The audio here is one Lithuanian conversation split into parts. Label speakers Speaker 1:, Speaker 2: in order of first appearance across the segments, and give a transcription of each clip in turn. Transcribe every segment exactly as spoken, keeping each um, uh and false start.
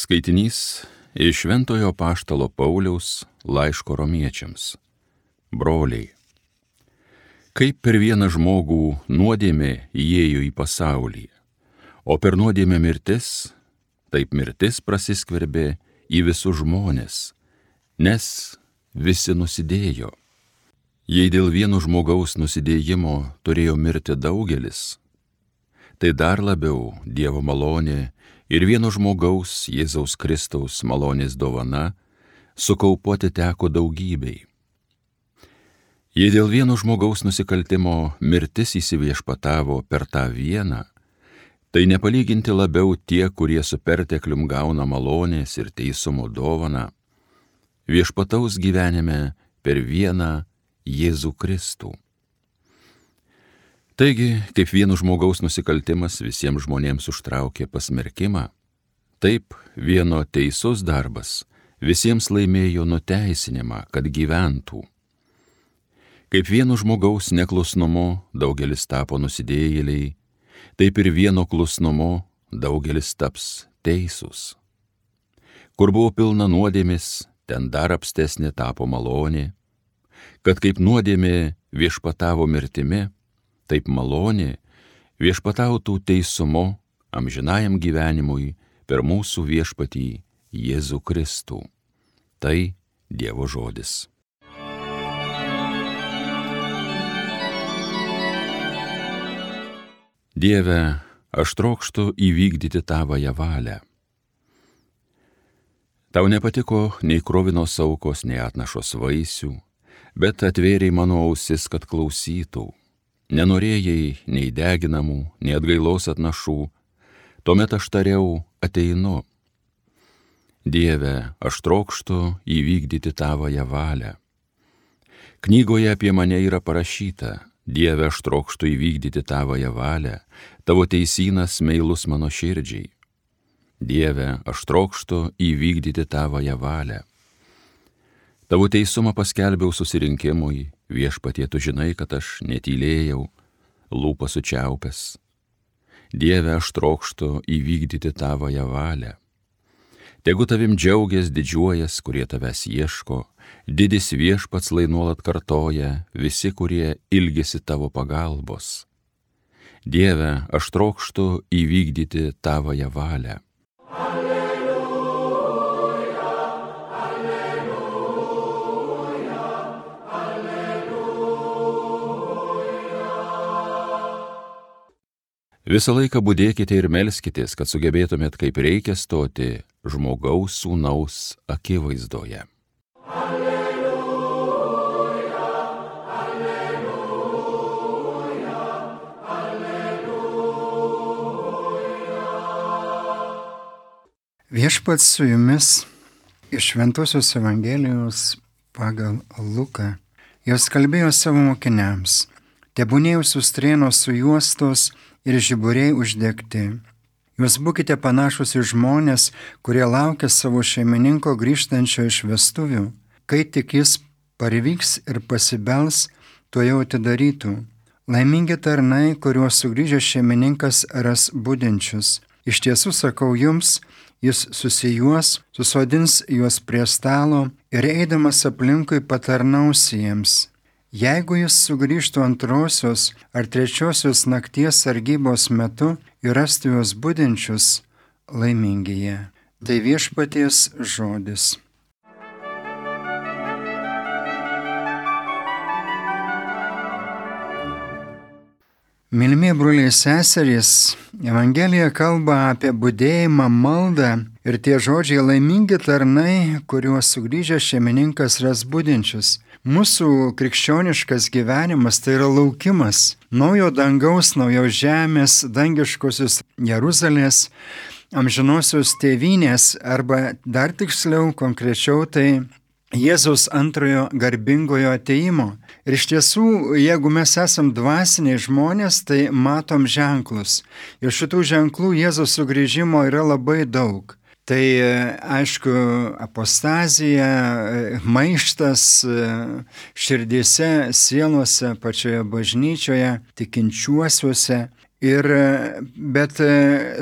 Speaker 1: Skaitinys iš Šventojo Apaštalo Pauliaus laiško romiečiams. Broliai, kaip per vieną žmogų nuodėmė įėjo į pasaulį, o per nuodėmę mirtis, taip mirtis prasiskverbė į visus žmones, nes visi nusidėjo. Jei dėl vieno žmogaus nusidėjimo turėjo mirti daugelis, tai dar labiau Dievo malonė ir vieno žmogaus Jėzaus Kristaus malonės dovana sukaupoti teko daugybei. Jei dėl vieno žmogaus nusikaltimo mirtis įsiviešpatavo per tą vieną, tai nepalyginti labiau tie, kurie su perteklium gauna malonės ir teisumo dovaną, viešpataus gyvenime per vieną Jėzų Kristų. Taigi, kaip vieno žmogaus nusikaltimas visiems žmonėms užtraukė pasmerkimą, taip vieno teisus darbas visiems laimėjo nuteisinimą, kad gyventų. Kaip vieno žmogaus neklusnumu daugelis tapo nusidėjėliai, taip ir vieno klusnumu daugelis taps teisūs. Kur buvo pilna nuodėmės, ten dar apstesnė tapo malonė, kad kaip nuodėmė viešpatavo mirtimi, taip malonė viešpatautų teisumu amžinajam gyvenimui per mūsų viešpatį Jėzų Kristų. Tai Dievo žodis. Dieve, aš trokštu įvykdyti tavąją valią. Tau nepatiko nei kruvinos aukos, nei atnašos vaisių, bet atvėrei mano ausis, kad klausytų. Nenorėjai nei deginamų, nei atgailos atnašų, tuomet aš tariau, ateinu. Dieve, aš trokštu įvykdyti tavąją valią. Knygoje apie mane yra parašyta, Dieve, aš trokštu įvykdyti tavąją valią, tavo teisynas meilus mano širdžiai. Dieve, aš trokštu įvykdyti tavąją valią. Tavo teisumą paskelbiau susirinkimui, viešpatie, tu žinai, kad aš netylėjau, lūpą sučiaupęs. Dieve, aš trokštu įvykdyti tavąją valią. Tegu tavim džiaugias, didžiuojas, kurie tavęs ieško, didis viešpats lai nuolat kartoja, visi, kurie ilgisi tavo pagalbos. Dieve, aš trokštu įvykdyti tavąją valią. Visą laiką budėkite ir melskitės, kad sugebėtumėt kaip reikia stoti žmogaus sūnaus akivaizdoje.
Speaker 2: Alleluja, alleluja, alleluja. Viešpats su jumis iš Šventosios Evangelijos pagal Luką. Jos kalbėjo savo mokiniams, tebūnie jūsų strėnos sujuostos ir žiburiai uždegti. Jūs būkite panašus į žmonės, kurie laukia savo šeimininko grįžtančio iš vestuvių. Kai tik jis parvyks ir pasibels, tuojau atidarytų. Laimingi tarnai, kuriuos sugrįžęs šeimininkas ras budinčius. Iš tiesų sakau jums, jis susijuos, susodins juos prie stalo ir eidamas aplinkui patarnaus jiems. Jeigu jis sugrįžtų antrosios ar trečiosios nakties sargybos metu ir rastų juos budinčius, laimingi jie. Tai viešpaties žodis. Mylimieji broliai seserys, Evangelija kalba apie budėjimą, maldą ir tie žodžiai laimingi tarnai, kuriuos sugrįžęs šeimininkas ras budinčius. Mūsų krikščioniškas gyvenimas tai yra laukimas naujo dangaus, naujos žemės, dangiškosios Jeruzalės, amžinosios tėvynės arba dar tiksliau, konkrečiau tai Jėzaus antrojo garbingojo atėjimo. Ir iš tiesų, jeigu mes esam dvasiniai žmonės, tai matom ženklus. Ir šitų ženklų Jėzaus sugrįžimo yra labai daug. Tai aišku, apostazija, maištas širdyse, sielose, pačioje bažnyčioje, tikinčiuosiuose. Ir, bet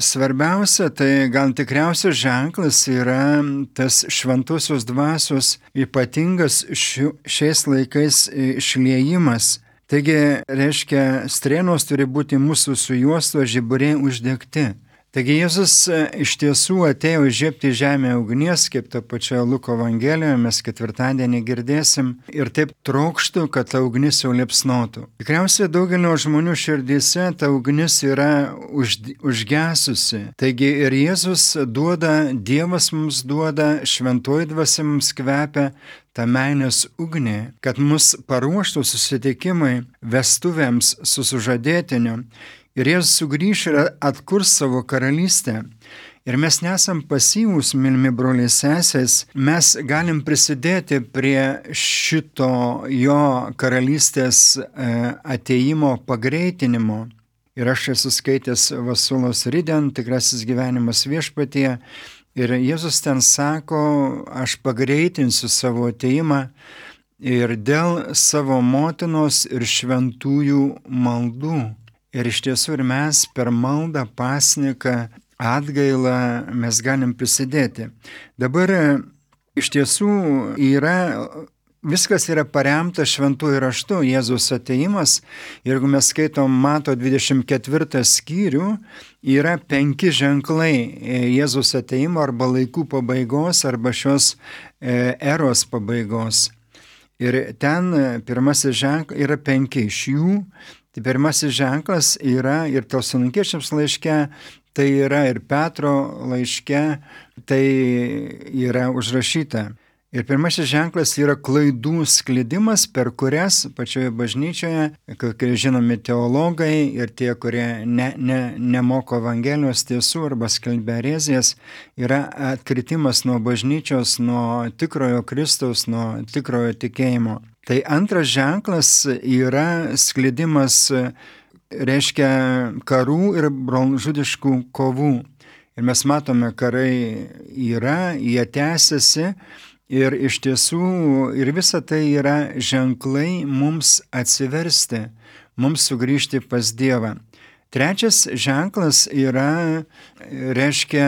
Speaker 2: svarbiausia, tai gal tikriausias ženklas yra tas šventosios dvasios ypatingas šiu, šiais laikais išliejimas. Taigi, reiškia, strėnos turi būti mūsų sujuostos žiburiai uždegti. Taigi Jėzus iš tiesų atėjo įžiebti žemę ugnies, kaip ta pačia Luko Evangelijoje mes ketvirtadienį girdėsim, ir taip trokštų, kad ta ugnis jau liepsnotų. Tikriausiai daugelio žmonių širdyse ta ugnis yra už, užgesusi. Taigi ir Jėzus duoda, Dievas mums duoda, šventoji dvasia mums kvepia tą meilės ugnį, kad mus paruoštų susitikimui, vestuvėms su sužadėtiniu. Ir Jėzus sugrįš ir atkurs savo karalystę. Ir mes nesam pasyvūs, mylimi broliai sesės, mes galim prisidėti prie šito jo karalystės ateimo pagreitinimo. Ir aš esu skaitęs Vasulos Riden, Tikrasis gyvenimas viešpatyje. Ir Jėzus ten sako, aš pagreitinsiu savo ateimą ir dėl savo motinos ir šventųjų maldų. Ir iš tiesų ir mes per maldą, pasniką, atgailą mes galim prisidėti. Dabar iš tiesų yra, viskas yra paremta šventųjų raštu, Jėzaus ateimas. Jeigu mes skaitom Mato dvidešimt ketvirtą skyrių, yra penki ženklai Jėzaus ateimo arba laikų pabaigos arba šios eros pabaigos. Ir ten pirmasis ženklas yra penki iš jų. Tai pirmasis ženklas yra ir Tesalonikiečiams laiške, tai yra ir Petro laiške, tai yra užrašyta. Ir pirmasis ženklas yra klaidų sklidimas, per kurias pačioje bažnyčioje, kai žinomi teologai ir tie, kurie ne, ne, nemoko Evangelijos tiesų arba skelbia erezijas, yra atkritimas nuo bažnyčios, nuo tikrojo Kristaus, nuo tikrojo tikėjimo. Tai antras ženklas yra sklidimas, reiškia karų ir brolžudiškų kovų. Ir mes matome, karai yra, jie tęsiasi ir iš tiesų ir visa tai yra ženklai mums atsiversti, mums sugrįžti pas Dievą. Trečias ženklas yra, reiškia,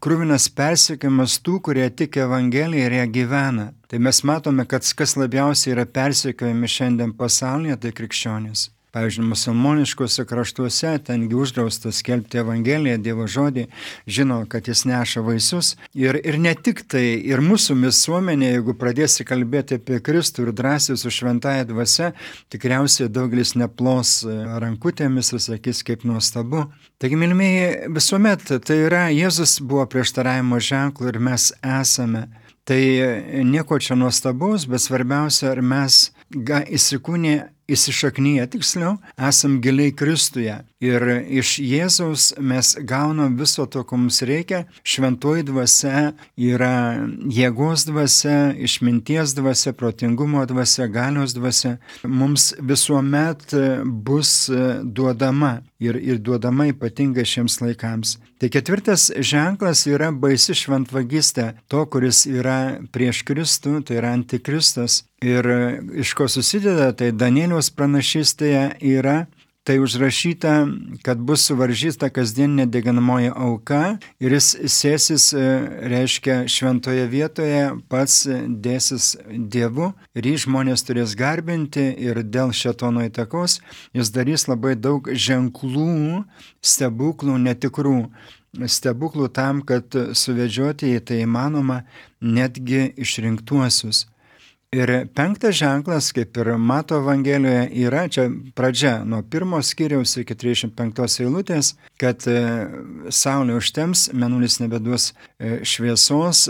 Speaker 2: kruvinas persekiojimas tų, kurie tiki Evangeliją ir ją gyvena. Tai mes matome, kad kas labiausiai yra persekiojami šiandien pasaulyje, tai krikščionys. Pavyzdžiui, musulmoniškose kraštuose, tengi uždrausta skelbti Evangeliją, Dievo žodį, žino, kad jis neša vaisius. Ir, ir ne tik tai, ir mūsų visuomenė, jeigu pradėsi kalbėti apie Kristų ir drąsiai su šventąja dvasia, tikriausiai daugelis neplos rankutėmis ir sakys, kaip nuostabu. Taigi, mylimieji, visuomet tai yra, Jėzus buvo prieštaravimo ženklu ir mes esame. Tai nieko čia nuostabaus, bet svarbiausia, ar mes įsikūnė, įsišaknyje, tiksliau, esam giliai Kristuje. Ir iš Jėzaus mes gaunam viso to, ko mums reikia. Šventoji dvasia yra jėgos dvasia, išminties dvasia, protingumo dvasia, galios dvasia. Mums visuomet bus duodama ir, ir duodama ypatingai šiems laikams. Tai ketvirtas ženklas yra baisi šventvagystė, to, kuris yra prieš Kristų, tai yra antikristas. Ir iš ko susideda, tai Danieliaus pranašystėje yra tai užrašyta, kad bus suvaržyta kasdieninė deginamoji auka ir jis sėsis, reiškia, šventoje vietoje, pats dėsis Dievu ir jį žmonės turės garbinti ir dėl šėtono įtakos jis darys labai daug ženklų, stebuklų, netikrų stebuklų tam, kad suvedžioti į tai įmanoma netgi išrinktuosius. Ir penktas ženklas, kaip ir Mato Evangelijoje, yra čia pradžia nuo pirmo skyriaus iki trisdešimt penktos eilutės, kad saulė užtems, mėnulis nebeduos šviesos,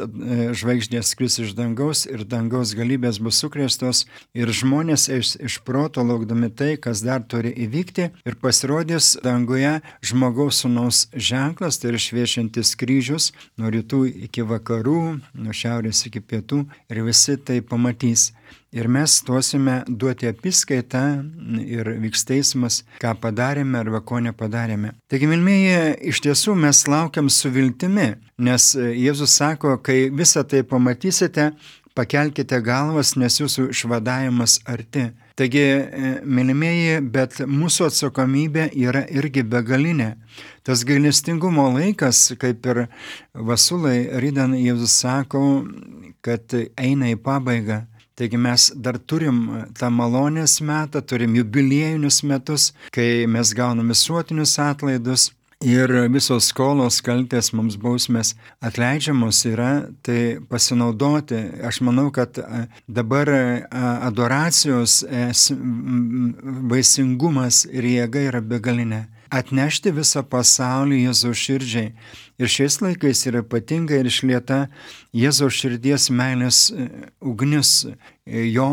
Speaker 2: žvaigždės kris iš dangaus ir dangaus galybės bus sukrėstos ir žmonės iš, iš proto laukdami tai, kas dar turi įvykti ir pasirodys danguje žmogaus sūnaus ženklas, tai yra šviečiantis kryžius nuo rytų iki vakarų, nuo šiaurės iki pietų ir visi tai pamatys. Ir mes stosime duoti apiskaitą ir vyks teismas, ką padarėme arba ko nepadarėme. Taigi, mylmieji, iš tiesų mes laukiam su viltimi, nes Jėzus sako, kai visą tai pamatysite, pakelkite galvas, nes jūsų išvadavimas arti. Taigi, mylimieji, bet mūsų atsakomybė yra irgi begalinė. Tas gailestingumo laikas, kaip ir Vasulai rydan Jėzus sako, kad eina į pabaigą. Taigi mes dar turim tą malonės metą, turim jubiliejinius metus, kai mes gaunam visuotinius atlaidus ir visos skolos, kaltės, mums bausmės atleidžiamos yra, tai pasinaudoti. Aš manau, kad dabar adoracijos vaisingumas ir jėga yra begalinė. Atnešti visą pasaulį Jėzaus širdžiai. Ir šiais laikais yra ypatinga ir išlieta Jėzaus širdies meilės ugnis. Jo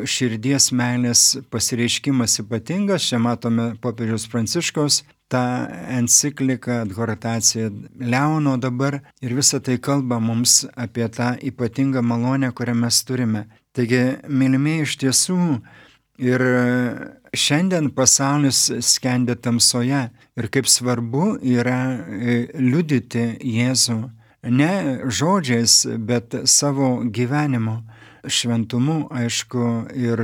Speaker 2: širdies meilės pasireiškimas ypatingas. Čia matome popiežiaus Pranciškaus tą encikliką, adhortaciją Leono dabar. Ir visa tai kalba mums apie tą ypatingą malonę, kurią mes turime. Taigi, mylimieji, iš tiesų, ir šiandien pasaulis skendia tamsoje ir kaip svarbu yra liudyti Jėzų ne žodžiais, bet savo gyvenimu, šventumu, aišku, ir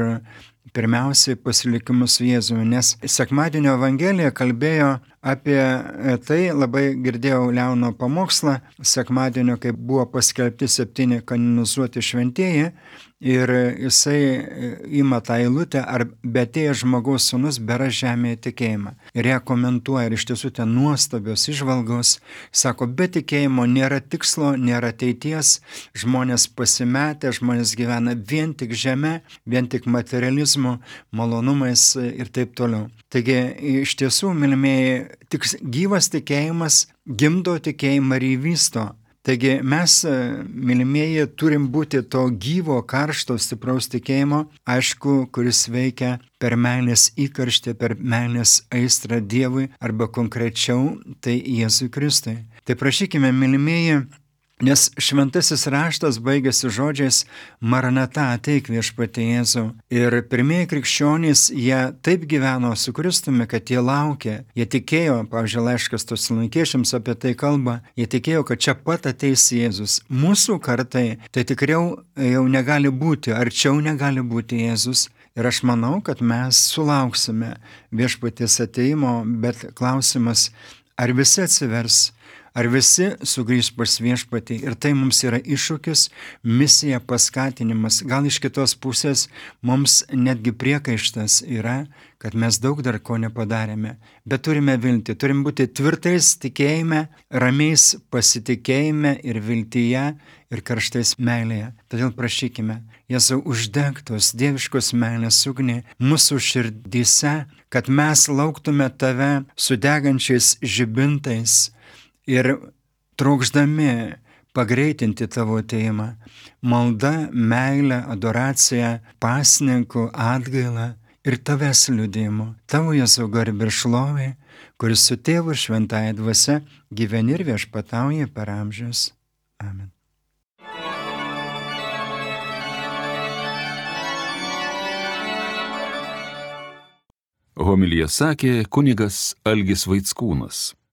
Speaker 2: pirmiausiai pasilikimu su Jėzumi, nes sekmadienio Evangelija kalbėjo apie tai, labai girdėjau Leono pamokslą sekmadienio, kai buvo paskelbti septyni kanonizuoti šventieji, ir jisai ima tą eilutę, ar betėjęs žmogaus sūnus bera žemėje tikėjimą. Ir ją komentuoja, ir iš tiesų ten nuostabios įžvalgos, sako, be tikėjimo nėra tikslo, nėra ateities, žmonės pasimetę, žmonės gyvena vien tik žeme, vien tik materializmu, malonumais ir taip toliau. Taigi, iš tiesų, mylimieji, tik gyvas tikėjimas gimdo tikėjimą ir įvysto. Taigi mes, mylimieji, turim būti to gyvo, karšto, stipraus tikėjimo, aišku, kuris veikia per meilės įkarštį, per meilės aistrą Dievui, arba konkrečiau, tai Jėzui Kristui. Tai prašykime, mylimieji, nes šventasis raštas baigėsi žodžiais Maranata, ateik viešpatie Jėzau. Ir pirmieji krikščionys, jie taip gyveno su Kristumi, kad jie laukė, jie tikėjo, pavyzdžiui, laiškas Tesalonikiečiams apie tai kalba, jie tikėjo, kad čia pat ateis Jėzus. Mūsų kartai tai tikriau jau negali būti, arčiau negali būti Jėzus. Ir aš manau, kad mes sulauksime viešpaties ateimo, bet klausimas, ar visi atsivers, ar visi sugrįž pas viešpatį. Ir tai mums yra iššūkis, misija, paskatinimas. Gal iš kitos pusės mums netgi priekaištas yra, kad mes daug dar ko nepadarėme. Bet turime viltį, turim būti tvirtais tikėjime, ramiais pasitikėjime ir viltyje ir karštais meilėje. Todėl prašykime, Jėzau, uždek tos dieviškos meilės ugnį mūsų širdyse, kad mes lauktume tave su degančiais žibintais ir trokšdami pagreitinti tavo ateimą. Malda, meilė, adoracija, pasninkų, atgaila ir tavęs liudijimu. Tavo Jėzau garbė ir šlovė, kuris su tėvu ir šventąja dvasia gyveni ir viešpatauja per amžius. Amen.
Speaker 1: Homiliją sakė kunigas Algis Vaickūnas.